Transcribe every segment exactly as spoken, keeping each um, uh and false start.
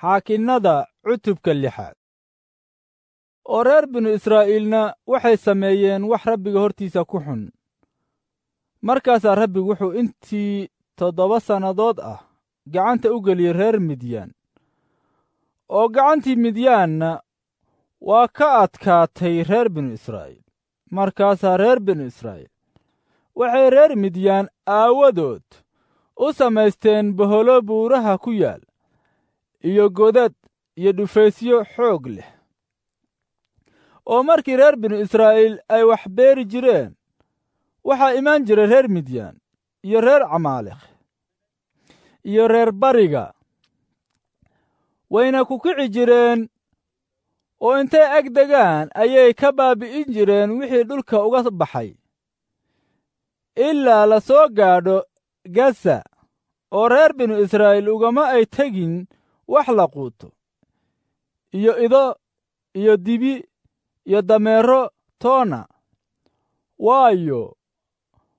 Xaakinnada cutubka lixaad. Oo reer binu Israa'iilna waxay sameeyeen wax Rabbiga hortiisa ku xun. Markaasaa Rabbigu wuxuu intii toddoba sannadood ah gacanta u geliyey reer Midyaan, oo gacantii Midyaanna waa ka adkaatay reer binu Israa'iil. Markaasaa reer binu Israa'iil waxay reer Midyaan aawadood u samaysteen boholo buuraha ku yaal, iyo godad iyo dhufaysyo xoog leh. Oo markii reer binu Israa'iil ay wax beeri jireen, waxaa imaan jiray reer Midyaan iyo reer Camaaleq iyo reer Bariga, wayna ku kici jireen, oo intay ag degaan ayay ka baabi'in jireen wixii dhulka uga baxay, ilaa la soo gaadho Gaza. Oo reer binu Israa'iil ugama ay tegin wax la quuto, iyo ido iyo dibi iyo dameero toona, waayo,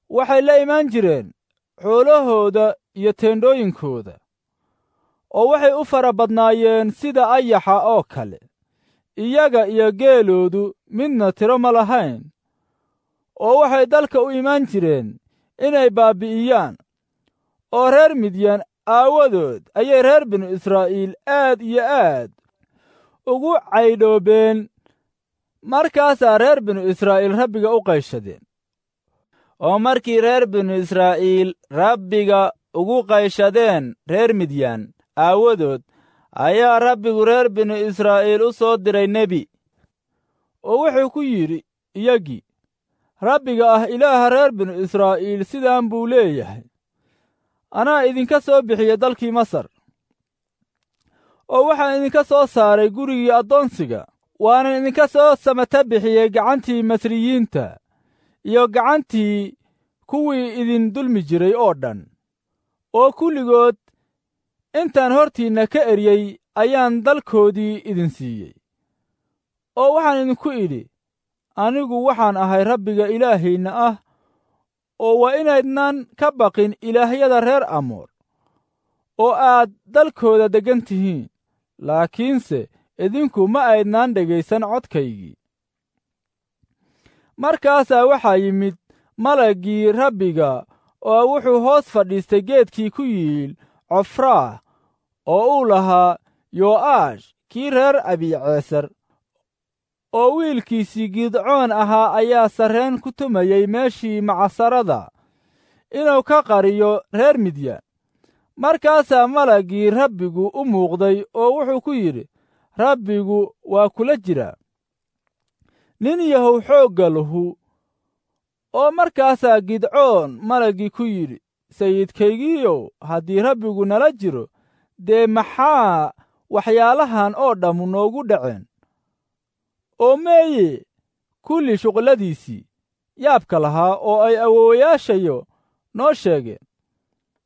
waxay la imaan jireen xoolahooda iyo teendhooyinkooda, oo waxay u fara badnaayeen sida ayaxa oo kale. Iyaga iyo geeloodu midna tiro ma lahayn, oo waxay dalka u imaan jireen inay baabbi'iyaan. Oo reer Midyaan aawadood ayay reer binu Israa'iil aad iyo aad ugu caydhoobeen. Markaasaa reer binu Israa'iil Rabbiga u qayshadeen. Oo markii reer binu Israa'iil Rabbiga ugu qayshadeen reer Midyaan aawadood, ayaa Rabbigu reer binu Israa'iil u soo diray nebi, oo wuxuu ku yidhi iyagii, Rabbiga ah Ilaaha reer binu Israa'iil sidaan buu leeyahay: anaa idinka soo bixiya dalkii Masar, oo waxaan idinka soo saaray gurigii addoonsiga, waanan idinka soo samata bixiyey gacantii Masriyiinta iyo gacantii kuwii idin dulmi jiray oo dhan, oo kulligood intaan hortiinna ka eryey ayaan dalkoodii idin siiyey. Oo waxaan idinku idhi, anigu waxaan ahay Rabbiga Ilaahiinna ah, oo waa inaydnan ka baqin ilaahyada reer Amoor, oo aad dalkooda deggan tihiin. Laakiinse idinku ma aydnaan dhegaysan codkaygii. Markaasaa waxaa yimid malaggii Rabbiga, oo wuxuu hoos fadhiistay geedkii ku yiil Cofraah, oo uu lahaa Yo'aash kii reer Abiiceesar, oo wiilkiisii Gidcoon ahaa ayaa sarreen ku tumayey meeshii macasarada inuu ka qariyo reer Midyaan. Markaasaa malaggii Rabbigu u muuqday oo wuxuu ku yidhi, Rabbigu waa kula jiraa, nin yahow xoogga lahu. Oo markaasaa Gidcoon malaggii ku yidhi, Sayidkaygiiyow, haddii Rabbigu nala jiro, dee maxaa waxyaalahan oo dhammu noogu dhaceen? Oo meeye kulli shuqulladiisii yaabka lahaa oo ay awoowayaashayo noo sheegeen,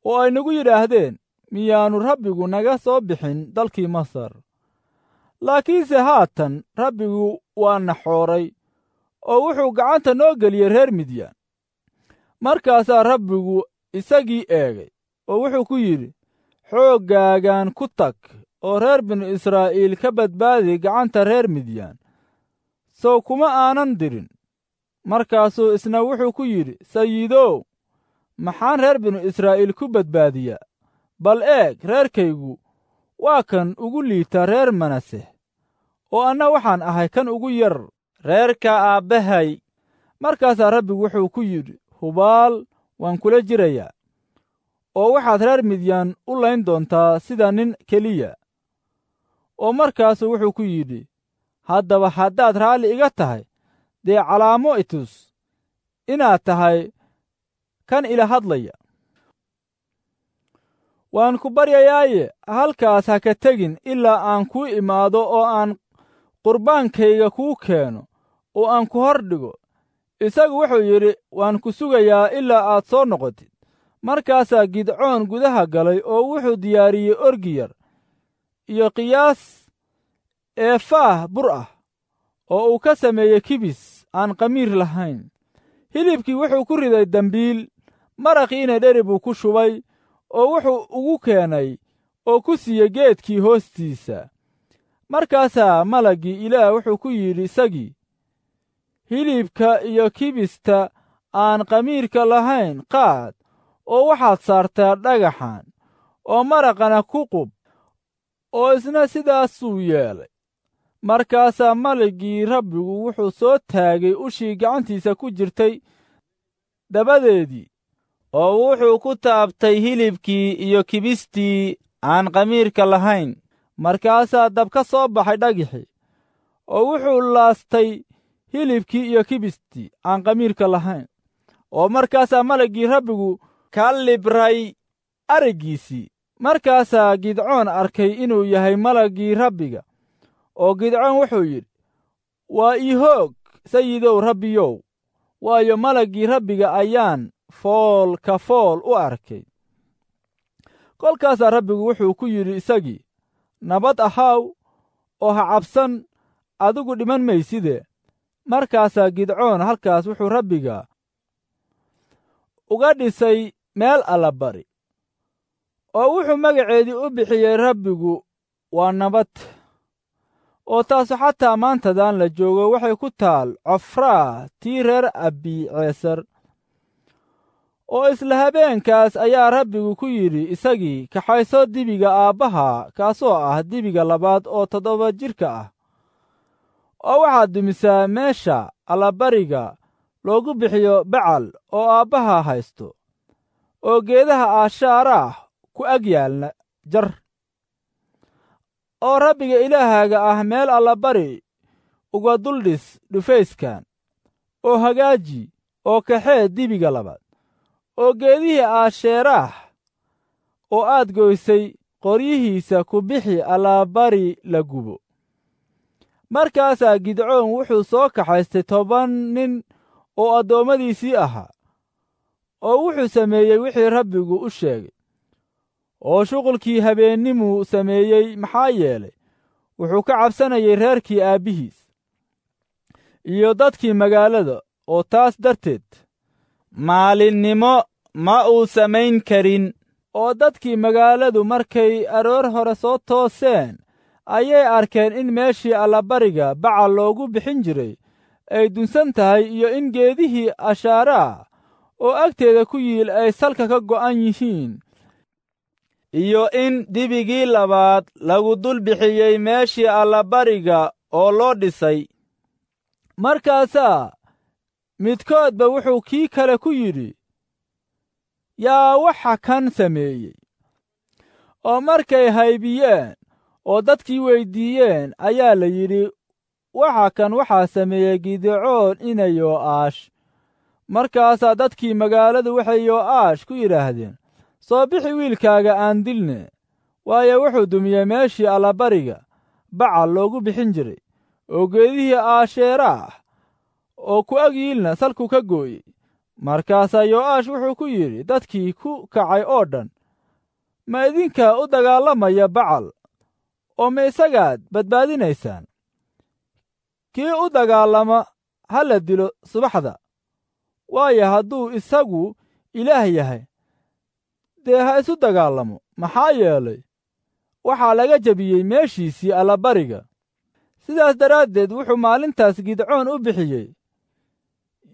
oo ay nagu yidhaahdeen, miyaannu Rabbigu naga soo bixin dalkii Masar? Laakiinse haatan Rabbigu waa na xooray, oo wuxuu gacanta noo geliyey reer Midyaan. Markaasaa Rabbigu isagii eegay, oo wuxuu ku yidhi, xooggaagan ku tag, oo reer binu Israa'iil ka badbaadi gacanta reer Midyaan. Sow kuma aanan dirin. Markaasuu isna wuxuu ku yidhi, Sayidow, maxaan reer binu Israa'iil ku badbaadiyaa? Bal eeg, reerkaygu waa kan ugu liita reer Manaseh, oo anna waxaan ahay kan ugu yar reerka aabbahay. Markaasaa Rabbigu wuxuu ku yidhi, hubaal waan kula jirayaa, oo waxaad reer Midyaan u layn doontaa sida nin keliya. Oo markaasuu wuxuu ku yidhi, haddaba haddaad raalli iga tahay, dee calaamo i tus inaad tahay kan ila hadlaya. Waan ku baryayaaye, halkaas ha ka tegin ilaa aan kuu imaado oo aan qurbaankayga kuu keeno oo aan ku hor dhigo. Isagu wuxuu yidhi, waan ku sugayaa ilaa aad soo noqotid. Markaasaa Gidcoon gudaha galay oo wuxuu diyaariyey orgi yar iyo qiyaas eefaah bur ah, oo uu ka sameeyey kibis aan khamiir lahayn. Hilibkii wuxuu ku riday dembiil, maraqiina dheri buu ku shubay, oo wuxuu ugu keenay oo ku siiyey geedkii hoostiisa. Markaasaa malaggii Ilaah wuxuu ku yidhi isagii, hilibka iyo kibista aan khamiirka lahayn qaad, oo waxaad saartaa dhagaxan, oo maraqana ku qub. Oo isna sidaasuu yeelay. Markaasaa malaggii Rabbigu wuxuu soo taagay ushii gacantiisa ku jirtay dabadeedii, oo wuxuu ku taabtay hilibkii iyo kibistii aan khamiirka lahayn. Markaasaa dab ka soo baxay dhagixii, oo wuxuu laastay hilibkii iyo kibistii aan khamiirka lahayn. Oo markaasaa malaggii Rabbigu ka libray araggiisii. Markaasaa Gidcoon arkay inuu yahay malaggii Rabbiga, oo Gidcoon wuxuu yidhi, waa ii hoog, Sayidow Rabbiyow, waayo malaggii Rabbiga ayaan fool ka fool u arkay. Kolkaasaa Rabbigu wuxuu ku yidhi isagii, nabad ahaw oo ha cabsan, adigu dhiman mayside. Markaasaa Gidcoon halkaas wuxuu Rabbiga uga dhisay meel allabari, oo wuxuu magaceedii u bixiyey Rabbigu waa nabad. Oo taasu xataa maantadan la joogo waxay ku taal Cofraa tii reer Abiceesar. Oo isla habeenkaas ayaa Rabbigu ku yidhi isagii, kaxayso dibiga aabbaha, kaasoo ah dibiga labaad oo toddoba jirka ah, oo waxaad dumisaa meesha allabariga loogu bixiyo Bacal oo aabbaha haysto, oo geedaha aashaaraah ku ag yaalna jar, oo Rabbiga Ilaahaaga ah meel allabari uga duldhis dhufayskan, oo hagaaji oo kaxee dibiga labaad, oo geedihii aasheeraah oo aad goysay qoryihiisa ku bixi allabari la gubo. Markaasaa Gidcoon wuxuu soo kaxaystay toban nin oo addoommadiisii ahaa, oo wuxuu sameeyey wixii Rabbigu u sheegay, oo shuqulkii habeennimuu sameeyey, maxaa yeelay wuxuu ka cabsanayay reerkii aabbihiis iyo dadkii magaalada, oo taas darteed maalinnimo ma uu samayn karin. Oo dadkii magaaladu markay aroor hore soo tooseen ayay arkeen in meeshii allabariga Bacal loogu bixin jiray ay dunsan tahay, iyo in geedihii ashaaraah oo agteeda ku yiil ay salka ka go'an yihiin, iyo in dibigii labaad lagu dul bixiyey meeshii allabariga oo loo dhisay. Markaasaa midkoodba wuxuu kii kale ku yidhi, yaa waxa kan sameeyey? Oo markay haybiyeen oo dadkii weyddiiyeen ayaa la yidhi, waxa kan waxaa sameeyey Gidcoon ina Yoo'aash. Markaasaa dadkii magaaladu waxay Yoo'aash ku yidhaahdeen, soo bixi wiilkaaga aan dilne, waayo wuxuu dumiyey meeshii allabariga Bacal loogu bixin jiray, oo geedihii aasheeraah oo ku ag yiilna salku ka gooyey. Markaasaa Yoo'aash wuxuu ku yidhi dadkii ku kacay oo dhan, ma idinka u dagaalamaya Bacal, oo ma isagaad badbaadinaysaan? Kii u dagaalama ha la dilo subaxda, waayo hadduu isagu Ilaah yahay, dee ha isu dagaalamo, maxaa yeelay waxaa laga jebiyey meeshiisii allabariga. Sidaas daraaddeed wuxuu maalintaas Gidcoon u bixiyey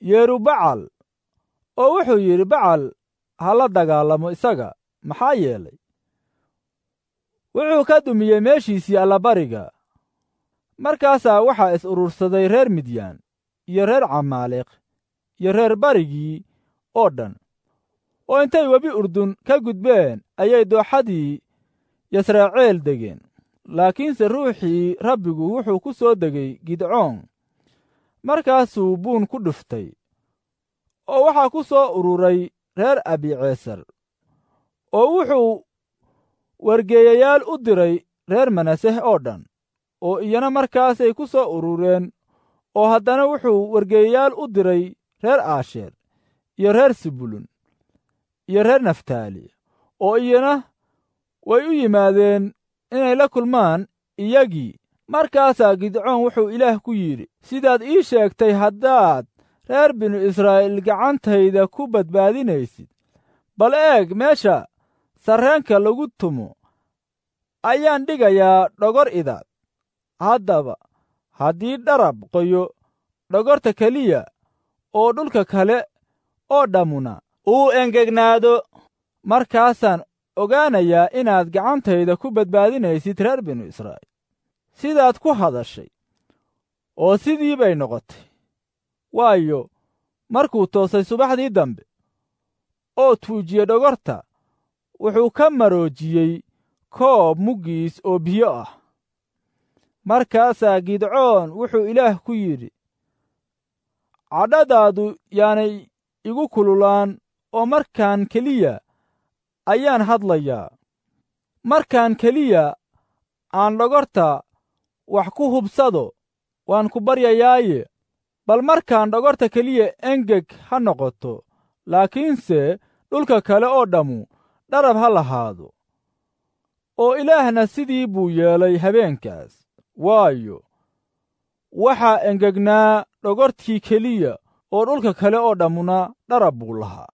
Yerubacal, oo wuxuu yidhi, Bacal ha la dagaalamo isaga, maxaa yeelay wuxuu ka dumiyey meeshiisii allabariga. Markaasaa waxaa is urursaday reer Midyaan iyo reer Camaaleq iyo reer barigii oo dhan, oo intay webi Urdun ka gudbeen ayay dooxadii Yasraceel degeen. Laakiinse ruuxii Rabbigu wuxuu ku soo degay Gidcoon, markaasuu buun ku dhuftay, oo waxaa ku soo ururay reer Abiceesar, oo wuxuu wargeeyayaal u diray reer Manaseh oo dhan, oo iyana markaasay ku soo urureen. Oo haddana wuxuu wargeeyayaal u diray reer Aasheer iyo reer Sebulun iyo reer Naftaali, oo iyana way u yimaadeen inay la kulmaan iyagii. Markaasaa Gidcoon wuxuu Ilaah ku yidhi, sidaad ii sheegtay haddaad reer binu Israa'iil gacantayda ku badbaadinaysid, bal eeg meesha sarreenka lagu tumo ayaan dhigayaa dhogor idaad. Haddaba haddii dharab qoyo dhogorta keliya oo dhulka kale oo dhammuna uu engegnaado, markaasaan ogaanayaa inaad gacantayda ku badbaadinaysid reer binu Israa'iil. Sidaad ku hadashay oo sidii bay noqotay. Waayo, markuu toosay subaxdii dambe oo tuujiyey dhogorta, wuxuu ka maroojiyey koob muggiis oo biyo ah. Markaasaa Gidcoon wuxuu Ilaah ku yidhi, cadhadaadu yaanay igu kululaan, oo markaan keliya ayaan hadlayaa. Markaan keliya aan dhogorta wax ku hubsado, waan ku baryayaaye, bal markaan dhogorta keliya engeg ha noqoto, laakiinse dhulka kale oo dhammu dharab ha lahaado. Oo Ilaahna sidii buu yeelay habeenkaas, waayo, waxaa engegnaa dhogortii keliya oo dhulka kale oo dhammuna dharab buu lahaa.